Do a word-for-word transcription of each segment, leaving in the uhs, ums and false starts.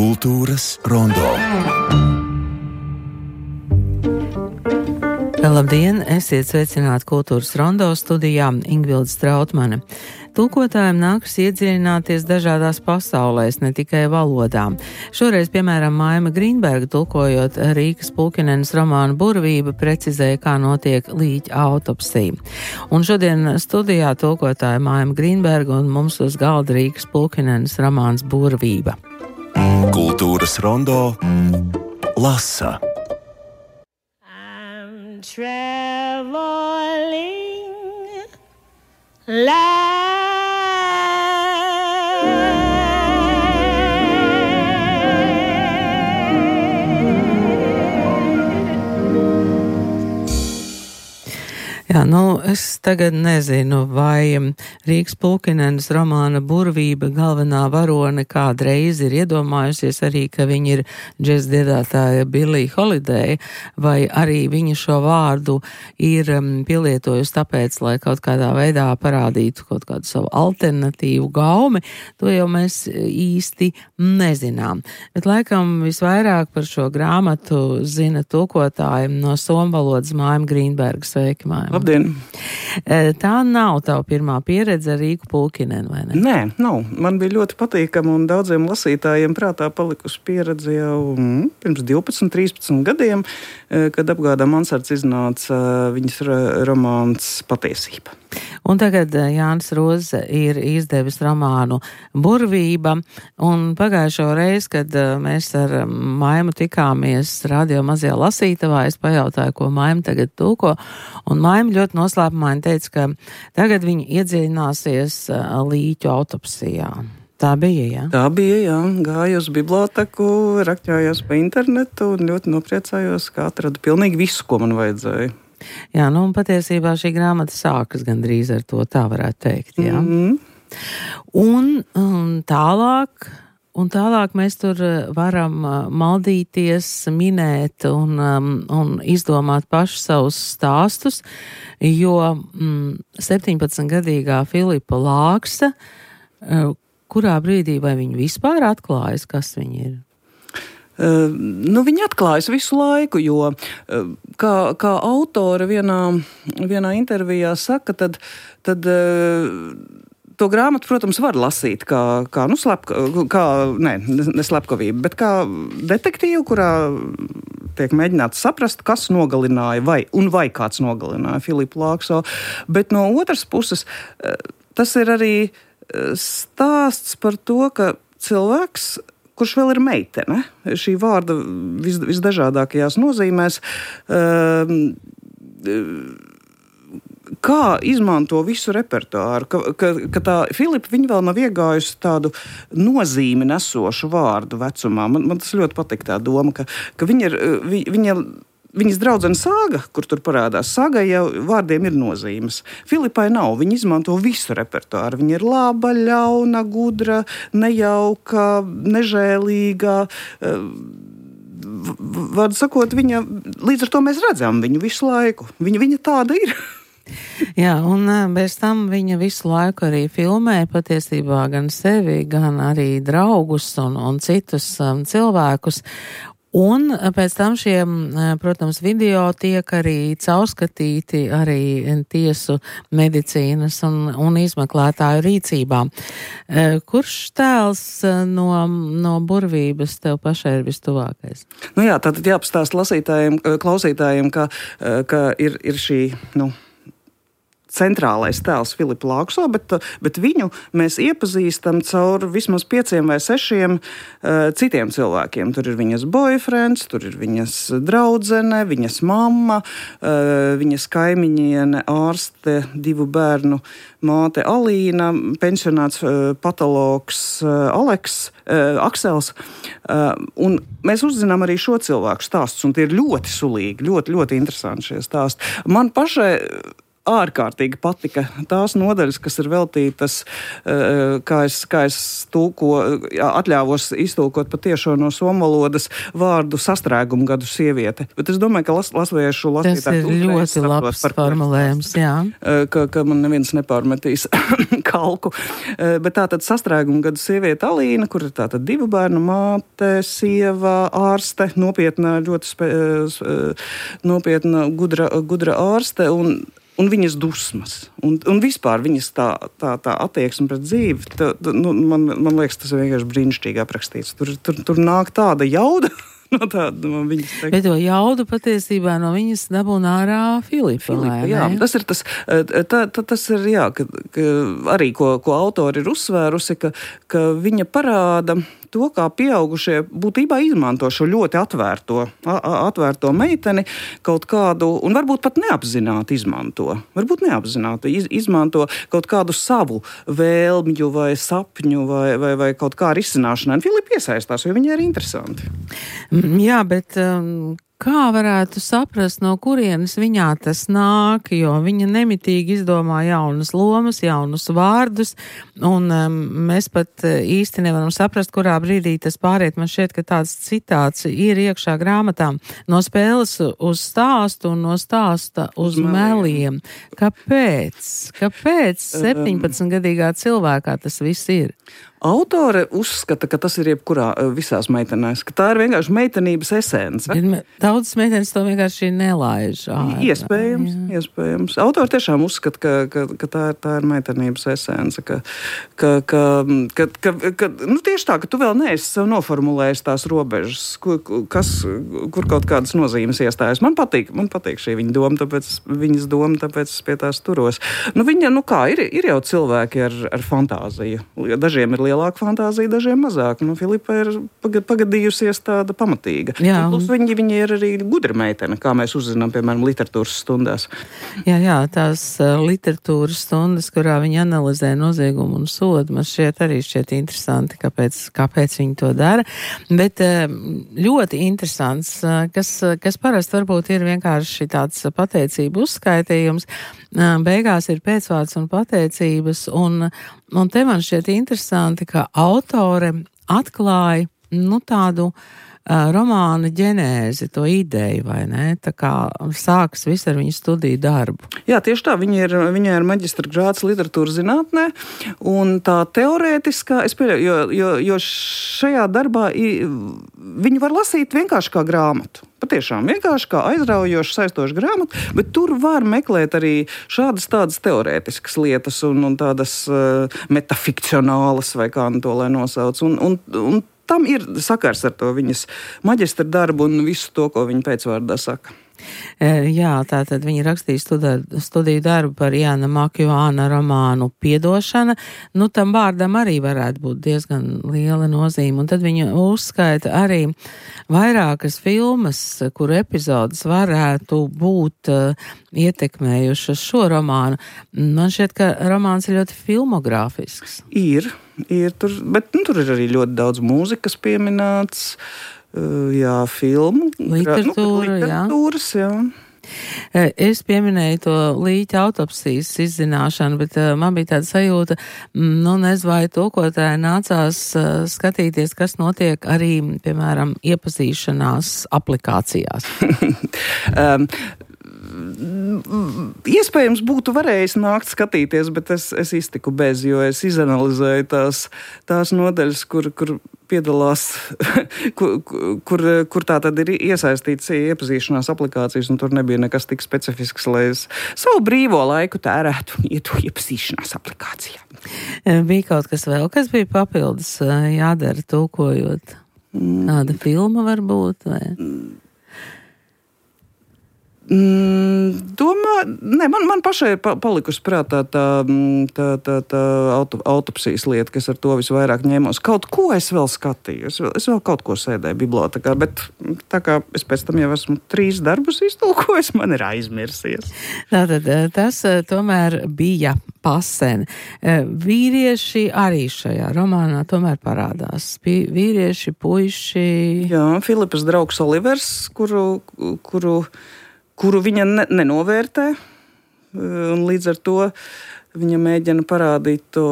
Kultūras rondo. Labdien! Esiet sveicināti Kultūras rondo studijā Ingvilde Strautmane. Tulkotājiem nākas iedziļināties dažādās pasaulēs, ne tikai valodā. Šoreiz, piemēram, Maima Grīnberga tulkojot Rīkas Pulkinenes romānu Burvība, precizēja, kā notiek līķa autopsija. Un šodien studijā tulkotāja Maima Grīnberga un mums uz galda Rīkas Pulkinenes romāns Burvība. Kultūras rondo lasa. I'm traveling light. Jā, nu, es tagad nezinu, vai Rīgas Pulkinenes romāna Burvība galvenā varone kādreiz ir iedomājusies arī, ka viņa ir džeza dziedātāja Billie Holiday, vai arī viņa šo vārdu ir pielietojusi tāpēc, lai kaut kādā veidā parādītu kaut kādu savu alternatīvu gaumi. To jau mēs īsti nezinām. Bet laikam visvairāk par šo grāmatu zina tulkotājiem no somu valodas Maima Grīnberga. Sveiki, Maima! Labdien! Tā nav tava pirmā pieredze ar Rīgu Pulkineni, vai ne? Nē, nav. Man bija ļoti patīkama un daudziem lasītājiem prātā palikusi pieredze jau mm, pirms divpadsmit, trīspadsmit gadiem, kad apgādā Mansards iznāca viņas romāns Patiesība. Un tagad Jānis Roze ir izdevis romānu Burvība, un pagājušo reizi, kad mēs ar Maimu tikāmies radio mazajā lasītavā, es pajautāju, ko Maima tagad tulko, un Maima ļoti noslēpumaini teica, ka tagad viņa iedziļināsies līķu autopsijā. Tā bija, jā? Tā bija, jā. Gāju uz biblioteku, rakņājos pa internetu un ļoti nopriecājos, ka atradu pilnīgi visu, ko man vajadzēja. Jā, nu un patiesībā šī grāmata sākas gandrīz ar to, tā varētu teikt, jā. Mm-hmm. Un, un tālāk, un tālāk mēs tur varam maldīties, minēt un, un izdomāt paši savus stāstus, jo mm, septiņpadsmitgadīgā Filipa Lāksa, kurā brīdī vai viņa vispār atklājas, kas viņa ir? Uh, nu, viņa atklājas visu laiku, jo uh, kā, kā autore vienā, vienā intervijā saka, tad, tad uh, to grāmatu, protams, var lasīt kā, kā, nu, slepka, kā ne, ne slepkavība, bet kā detektīvu, kurā tiek mēģināts saprast, kas nogalināja vai, un vai kāds nogalināja Filipu Lākso. Bet no otras puses, uh, tas ir arī stāsts par to, ka cilvēks, kurš vēl ir meitene, šī vārda vis, visdažādākajās nozīmēs, kā izmanto visu repertuāru, ka, ka, ka tā Filipa, viņa vēl nav iegājusi tādu nozīmi nesošu vārdu vecumā. Man, man tas ļoti patīk tā doma, ka, ka viņa ir, viņa Viņas draudzene Sāga, kur tur parādās, Sāgai jau vārdiem ir nozīmes. Filipai nav, viņa izmanto visu repertuāru. Viņa ir laba, ļauna, gudra, nejauka, nežēlīga. Vārdu sakot, viņa, līdz ar to mēs redzam viņu visu laiku. Viņa, viņa tāda ir. Jā, un bez tam viņa visu laiku arī filmē patiesībā gan sevi, gan arī draugus un, un citus um, cilvēkus. Un pēc tam šie, protams, video tiek arī caurskatīti arī tiesu medicīnas un, un izmeklētāju rīcībā. Kurš tēls no, no Burvības tev pašai ir vistuvākais? Nu jā, tātad jāpastāst lasītājiem, klausītājiem, ka, ka ir, ir šī, nu, centrālais tēls Filipa Lākso, bet, bet viņu mēs iepazīstam caur vismaz pieciem vai sešiem uh, citiem cilvēkiem. Tur ir viņas boyfriends, tur ir viņas draudzene, viņas mamma, uh, viņas kaimiņiene, ārste, divu bērnu māte Alīna, pensionāts uh, patologs uh, Aleks, uh, Aksels. Uh, un mēs uzzinām arī šo cilvēku stāstus, un tie ir ļoti sulīgi, ļoti, ļoti interesanti šie stāsti. Man pašai ārkārtīgi patika tās nodaļas, kas ir veltītas, kā es, kā es tūko, atļāvos iztūkot patiešo no somu valodas vārdu sastrēgumu gadu sieviete. Bet es domāju, ka las, lasviešu lasītāji... Tas ir ļoti labs formulējums, jā. Ka, ka man neviens nepārmetīs kalku. Bet tātad sastrēgumu gadu sieviete Alīna, kur ir tātad divu bērnu māte, sieva, ārste, nopietna, ļoti spe, nopietna, gudra, gudra ārste un Un viņas dusmas, un, un vispār viņas tā, tā, tā attieksme pret dzīvi, tā, tā, nu, man, man liekas, tas ir vienkārši brīnišķīgi aprakstīts. Tur, tur, tur nāk tāda jauda no tāda no viņas teikt. Bet to jaudu patiesībā no viņas dabūna ārā Filipa. Filipa jā, tas ir tas, tā, tā, tas ir, jā, ka, ka arī, ko, ko autori ir uzsvērusi, ka, ka viņa parāda to, kā pieaugušie būtībā izmanto šo ļoti atvērto, atvērto meiteni kaut kādu, un varbūt pat neapzināti izmanto, varbūt neapzināti iz, izmanto kaut kādu savu vēlmju vai sapņu vai, vai, vai kaut kā risināšanai. Filipa iesaistās, jo viņai ir interesanti. Jā, bet um, kā varētu saprast, no kurienes viņā tas nāk, jo viņa nemitīgi izdomā jaunas lomas, jaunus vārdus, un um, mēs pat īsti nevaram saprast, kurā brīdī tas pāriet. Man šķiet, ka tāds citāts ir iekšā grāmatā. No spēles uz stāstu un no stāsta uz, uz meliem. Kāpēc? Kāpēc septiņpadsmitgadīgā cilvēkā tas viss ir? Autore uzskata, ka tas ir jebkurā visās meitenēs, ka tā ir vienkārši meitenības esence. Daudzas meitenes to vienkārši nelaiž. Ārā. Iespējams, jā. iespējams. Autori tiešām uzskata, ka, ka, ka tā, ir, tā ir meitenības esence, ka, ka, ka, ka, ka, ka nu, tieši tā, ka tu vēl neesi sev noformulējis tās robežas, kur, kas, kur kaut kādas nozīmes iestājas. Man patīk, man patīk šī viņa doma, tāpēc viņas doma, tāpēc es pie tās turos. Nu, viņa, nu kā, ir, ir jau cilvēki ar, ar fantāziju. Dažiem ir lielāka fantāzija, dažiem mazāk. Nu, Filipa ir pagadījusies tāda pamatīga. Jā, un... Plus viņi, viņi ir arī gudra meitene, kā mēs uzzinām, piemēram, literatūras stundās. Jā, jā, tās uh, literatūras stundas, kurā viņi analizē noziegumu un sodu, man šķiet arī šķiet interesanti, kāpēc, kāpēc viņi to dara. Bet uh, ļoti interesants, uh, kas, kas parasti varbūt ir vienkārši tāds pateicību uzskaitījums. Uh, beigās ir pēcvārds un pateicības, un, un te man šķiet interesanti, ka autore atklāja, nu, tādu uh, romāna ģenēzi, to ideju, vai ne? Tā kā sākas viss ar viņu studiju darbu. Jā, tieši tā. Viņa ir, viņa ir maģistra grāds literatūras zinātnē, un tā teorētiskā, es pieļauju, jo, jo, jo šajā darbā viņu var lasīt vienkārši kā grāmatu. Patiešām vienkārši kā aizraujoša, saistoša grāmata, bet tur var meklēt arī šādas tādas teorētiskas lietas un, un tādas uh, metafikcionālas, vai kā nu to lai nosauc. Un, un, un tam ir sakars ar to viņas maģistra darbu un visu to, ko viņa pēcvārdā saka. Jā, tātad viņa rakstīja studiju, studiju darbu par Jāna Makjuāna romānu Piedošana. Nu, tam vārdam arī varētu būt diezgan liela nozīme. Un tad viņa uzskaita arī vairākas filmas, kuru epizodes varētu būt uh, ietekmējušas šo romānu. Man šķiet, ka romāns ir ļoti filmogrāfisks. Ir, ir tur, bet nu, tur ir arī ļoti daudz mūzikas pieminēts. Jā, filmu, literatūra, nu, literatūras, jā. jā. Es pieminēju to līķa autopsijas izzināšanu, bet uh, man bija tāda sajūta, nu, nezinu, vai tulkotāji nācās uh, skatīties, kas notiek arī, piemēram, iepazīšanās aplikācijās. um. Iespējams būtu varējis nākt skatīties, bet es, es iztiku bez, jo es izanalizēju tās, tās nodaļas, kur, kur piedalās, kur, kur, kur tā tad ir iesaistīts iepazīšanās aplikācijas, un tur nebija nekas tik specifisks, lai es savu brīvo laiku tērētu un ietu iepazīšanās aplikācijā. Bija kaut kas vēl, kas bija papildus jādara tulkojot? Kāda filma varbūt? Vai? Mm, domā, ne, man, man pašai ir palikusi prātā tā, tā, tā, tā auto, autopsijas lieta, kas ar to visvairāk ņēmos. Kaut ko es vēl skatīju, es vēl, es vēl kaut ko sēdēju bibliotēkā, bet tā kā es pēc tam jau esmu trīs darbus iztulkojis, man ir aizmirsies. Tātad tas tomēr bija pasen. Vīrieši arī šajā romānā tomēr parādās. Vīrieši, puiši. Jā, Filipas draugs Olivers, kuru, kuru kuru viņa ne, nenovērtē. un līdz ar to viņa mēģina parādīt to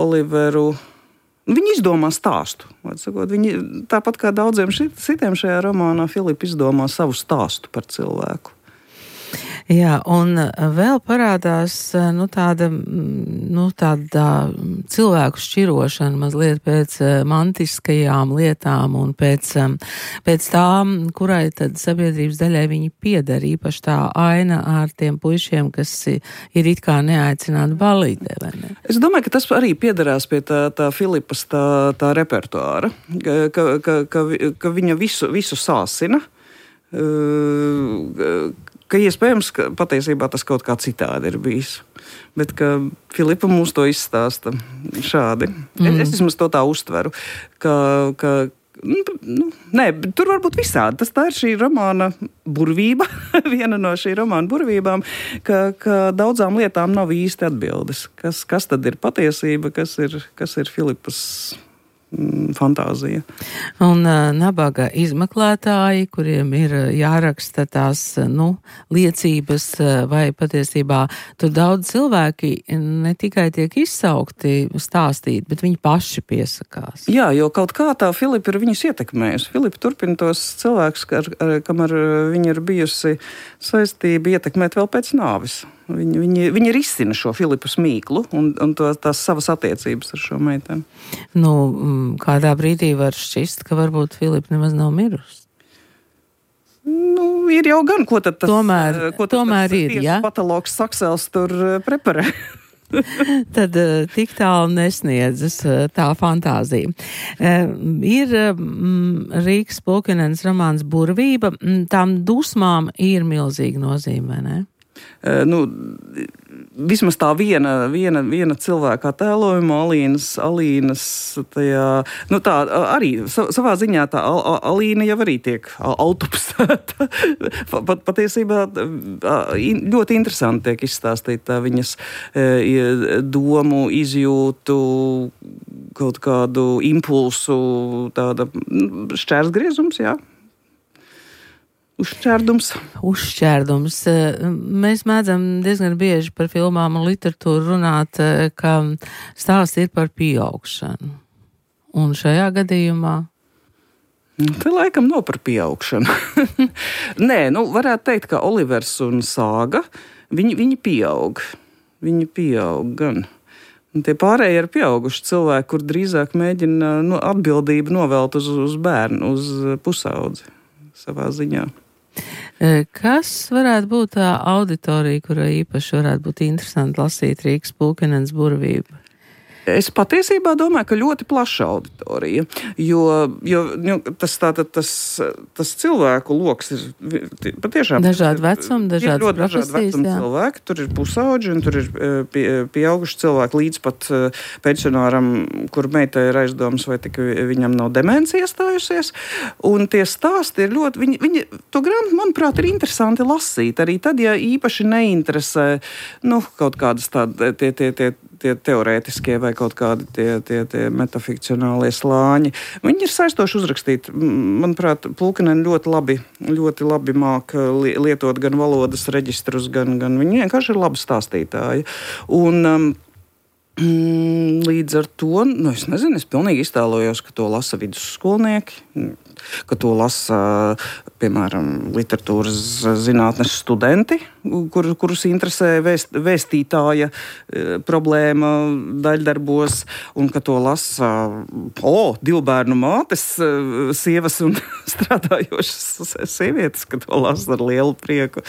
Oliveru. Viņi izdomā stāstu. Sakot, viņi, tāpat kā daudziem citiem šajā romānā, Filipa izdomā savu stāstu par cilvēku. Jā, un vēl parādās nu, tāda, nu, tāda cilvēku šķirošana mazliet pēc mantiskajām lietām un pēc, pēc tām, kurai tad sabiedrības daļai viņi pieder, īpaši tā aina ar tiem puišiem, kas ir it kā neaicināti balītē, vai ne? Es domāju, ka tas arī piederās pie tā, tā Filipas tā, tā repertuāra, ka, ka, ka, ka viņa visu, visu sāsina, ka iespējams, ka patiesībā tas kaut kā citādi ir bijis. Bet ka Filipa mums to izstāsta šādi. Mm. Es, es vismaz to tā uztveru, ka, ka nu, nē, tur var būt visādi. Tas tā ir šī romāna burvība, viena no šī romāna burvībām, ka, ka daudzām lietām nav īsti atbildes. Kas, kas tad ir patiesība, kas ir, kas ir Filipas fantāzija. Un uh, nabaga izmeklētāji, kuriem ir jāraksta tās, nu, liecības, vai patiesībā tur daudz cilvēki ne tikai tiek izsaukti stāstīt, bet viņi paši piesakās. Jā, jo kaut kā tā Filipa ir viņus ietekmējusi. Filipa turpina tos cilvēkus, ar, ar, kam ar viņu ir bijusi saistība ietekmēt vēl pēc nāves. Viņi, viņi, viņi risina šo Filipas mīklu un, un to, tās savas attiecības ar šo meiteni. Nu, kādā brīdī var šķist, ka varbūt Filipa nemaz nav mirusi? Nu, ir jau gan, ko tad tas, tomēr, ko tad tomēr tas ir, ja? patologs Saksels tur preparē. Tad tik tālu nesniedzas tā fantāzija. Ir Rīgas Pulkinens romāns Burvība, tām dusmām ir milzīga nozīme, ne? Nu, vismaz tā viena, viena, viena cilvēka attēlojuma, Alīnas, Alīnas tajā, nu tā arī savā ziņā tā Alīna jau arī tiek autopsēta. Pat, patiesībā ļoti interesanti tiek izstāstīt tā viņas domu, izjūtu, kaut kādu impulsu, tāda šķērsgriezums, jā. Uzšķērdums. Uzšķērdums. Mēs mēdzam diezgan bieži par filmām un literatūru runāt, ka stāsts ir par pieaugšanu. Un šajā gadījumā? Te laikam nav par pieaugšanu. Nē, nu varētu teikt, ka Olivers un Sāga, viņi, viņi pieaug. Viņi pieaug gan. Un tie pārējie ir pieauguši cilvēki, kur drīzāk mēģina nu, atbildību novelt uz, uz bērnu, uz pusaudzi savā ziņā. Kas varētu būt tā auditorija, kurai īpaši varētu būt interesanti lasīt Rīgas Pulkinens Burvību? Es patiesībā domāju, ka ļoti plaša auditorija, jo, jo nu, tas, tātad, tas, tas cilvēku loks ir patiešām dažādi vecumi, dažādas ļoti dažādi vecumi cilvēki. Tur ir pusauģi un tur ir pie, pieauguši cilvēki līdz pat pensionāram, kur meitai ir aizdomas, vai tik viņam nav demencija iestājusies. Un tie stāsti ir ļoti, viņi, viņi, to grāmatu, manuprāt, ir interesanti lasīt. Arī tad, ja īpaši neinteresē, nu, kaut kādas tādi tie, tie, tie, tie teorētiskie vai kaut kādi tie, tie, tie metafikcionālie slāņi. Viņi ir saistoši uzrakstīti. Manuprāt, Pulkineni ļoti labi, ļoti labi māk lietot gan valodas reģistrus, gan, gan viņi vienkārši ir labi stāstītāji. Un um, līdz ar to, nu es nezinu, es pilnīgi iztēlojos, ka to lasa vidusskolnieki, ka to lasa, piemēram, literatūras zinātnes studenti, kur, kurus interesē vēst, vēstītāja problēma daļdarbos, un ka to lasa o, divu bērnu mātes, sievas un strādājošas sievietes, ka to lasa ar lielu prieku.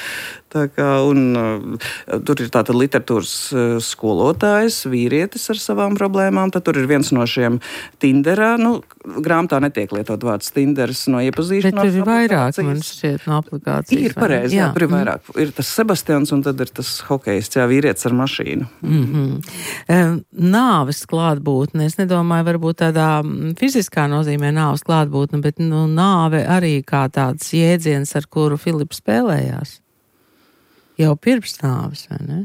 Tā kā, un tur ir tātad literatūras skolotājs, vīrietis ar savām problēmām, tad tur ir viens no šiem Tinderā, nu, grāmatā netiek lietot vārds Tinders no iepazīšanās. Bet tur ir vairāk, man šķiet, no aplikācijas. Ir pareizi, jā, jā, tur ir vairāk. Mm. Ir tas Sebastians un tad ir tas hokejists, jā, vīrietis ar mašīnu. Mm-hmm. Nāves klātbūtne, es nedomāju, varbūt tādā fiziskā nozīmē nāves klātbūtne, bet nu, nāve arī kā tāds jēdziens, ar kuru Filips spēlējās. Jau pirms nāves, vai ne?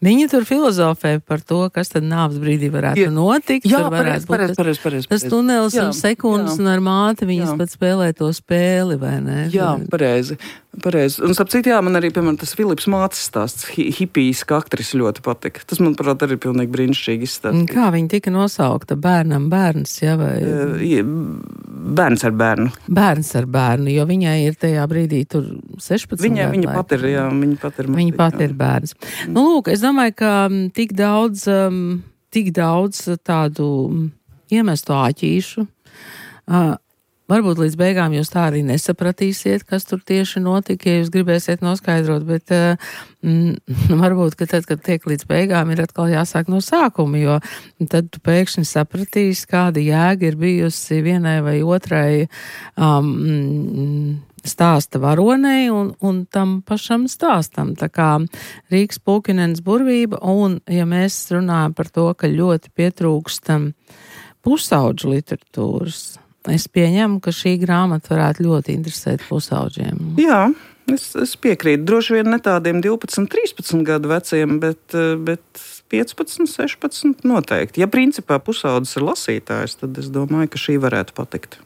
Viņi tur filozofē par to, kas tad nāves brīdī varētu jā. notikt. Jā, pareiz, pareiz, pareiz, pareiz. Tas tunelis un sekundes jā. un ar māti viņas jā. pat spēlē to spēli, vai ne? Jā, pareizi. Pareizi. Un, starp citu, jā, man arī, piemēram, tas Filips Mācis stāsts, hi hipijas, kā aktris ļoti patika. Tas, manuprāt, arī pilnīgi brīnišķīgi izstāstīts. Kā viņa tika nosaukta? Bērnam bērns, jā, vai? Bērns ar bērnu. Bērns ar bērnu, jo viņai ir tajā brīdī tur sešpadsmit Viņa, gadu. viņa pat ir, jā, viņa pat ir. Viņa pat ir bērns. Nu, lūk, es domāju, ka tik daudz, um, tik daudz tādu iemestu āķīšu, uh, varbūt līdz beigām jūs tā arī nesapratīsiet, kas tur tieši notika, ja jūs gribēsiet noskaidrot, bet mm, varbūt, ka tad, kad tiek līdz beigām, ir atkal jāsāk no sākuma, jo tad tu pēkšņi sapratīsi, kāda jēga ir bijusi vienai vai otrai um, stāsta varonei un, un tam pašam stāstam. Tā kā Rīgas Pulkinenes burvība, un ja mēs runājam par to, ka ļoti pietrūkstam pusauģu literatūras, es pieņemu, ka šī grāmata varētu ļoti interesēt pusauģiem. Jā, es, es piekrītu. Droši vien ne tādiem divpadsmit, trīspadsmit gadu veciem, bet, bet piecpadsmit, sešpadsmit noteikti. Ja principā pusaudzis ir lasītājs, tad es domāju, ka šī varētu patikt.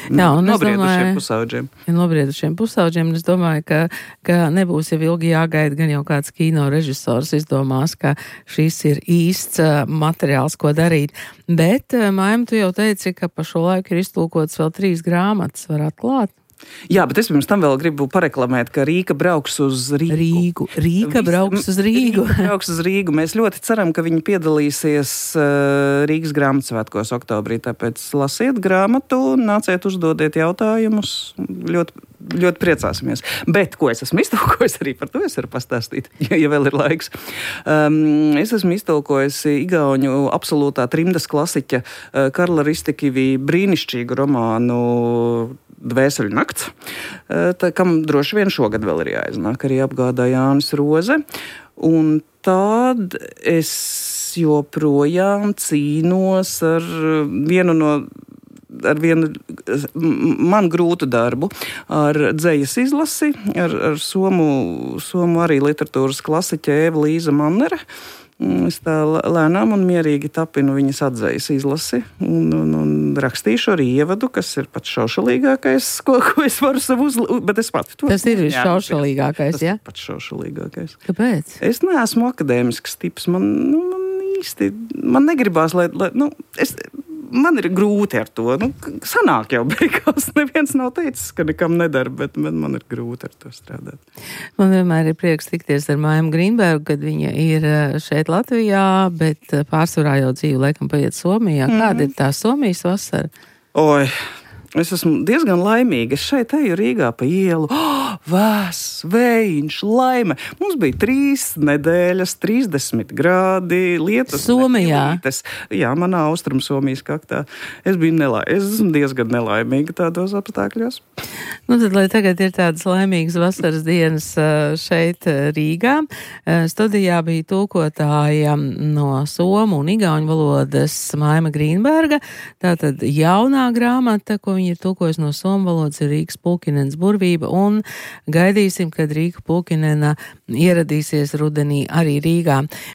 Jā, un nobriedušiem pusauģiem. Ja nobriedušiem pusauģiem, un es domāju, ka, ka nebūs jau ilgi jāgaida, gan jau kāds kino režisors izdomās, ka šis ir īsts uh, materiāls, ko darīt. Bet, uh, Maim, tu jau teici, ka pa šo laiku ir iztulkots vēl trīs grāmatas, var atklāt? Jā, bet es pirms tam vēl gribu pareklamēt, ka Rīga brauks uz Rīgu. Rīgu. Rīga brauks uz Rīgu. Rīga brauks uz Rīgu. Mēs ļoti ceram, ka viņi piedalīsies uh, Rīgas grāmatsvētkos oktobrī, tāpēc lasiet grāmatu, nāciet uzdodiet jautājumus. Ļoti, ļoti priecāsimies. Bet, ko es esmu iztulkojis, arī par to es varu pastāstīt, ja, ja vēl ir laiks. Um, es esmu iztulkojis igauņu absolūtā trimdas klasiķa uh, Karla Ristikivī brīnišķīgu romānu Dvēseļu nakts, tā, kam droši vien šogad vēl ir jāiznāk, arī apgādā Jānis Roze. Un tad es joprojām cīnos ar vienu no, ar vienu man grūtu darbu, ar dzejas izlasi, ar, ar somu, somu arī literatūras klasiķe Eva Līza Mannere. Es tā lēnām un mierīgi tapinu viņas atzejas izlasi un, un, un rakstīšu arī ievadu, kas ir pats šaušalīgākais, ko, ko es varu savu uzlūkt, bet es pati to... Tas ir šaušalīgākais, jā? Tas pats šaušalīgākais. Kāpēc? Es neesmu akadēmisks tips, man, nu, man īsti, man negribās, lai, lai nu, es... Man ir grūti ar to. Nu, sanāk jau beigās. Neviens nav teicis, ka nekam nedara, bet man ir grūti ar to strādāt. Man vienmēr ir prieks tikties ar Maimu Grīnbergu, kad viņa ir šeit Latvijā, bet pārsvarā jau dzīve laikam paiet Somijā. Mm. Kāda ir tā Somijas vasara? Oi, es esmu diezgan laimīga. Es šeit eju Rīgā pa ielu. Oh, vēss, vējš, laime. Mums bija trīs nedēļas, trīsdesmit grādi, lietus. Somijā? Nepilītes. Jā, manā Austrum Somijas kaktā. Es biju nelaimīga. Es esmu diezgan nelaimīga tādos apstākļos. Nu tad, lai tagad ir tādas laimīgas vasaras dienas šeit Rīgā, studijā bija tulkotāja no somu un igauņu valodas Maima Grīnberga. Tātad jaunā grāmata, ko viņa ir tulkojusi no somu valodas, ir Rīgas Pulkinenes burvība, un gaidīsim, kad Rīga Pulkinena ieradīsies rudenī arī Rīgā.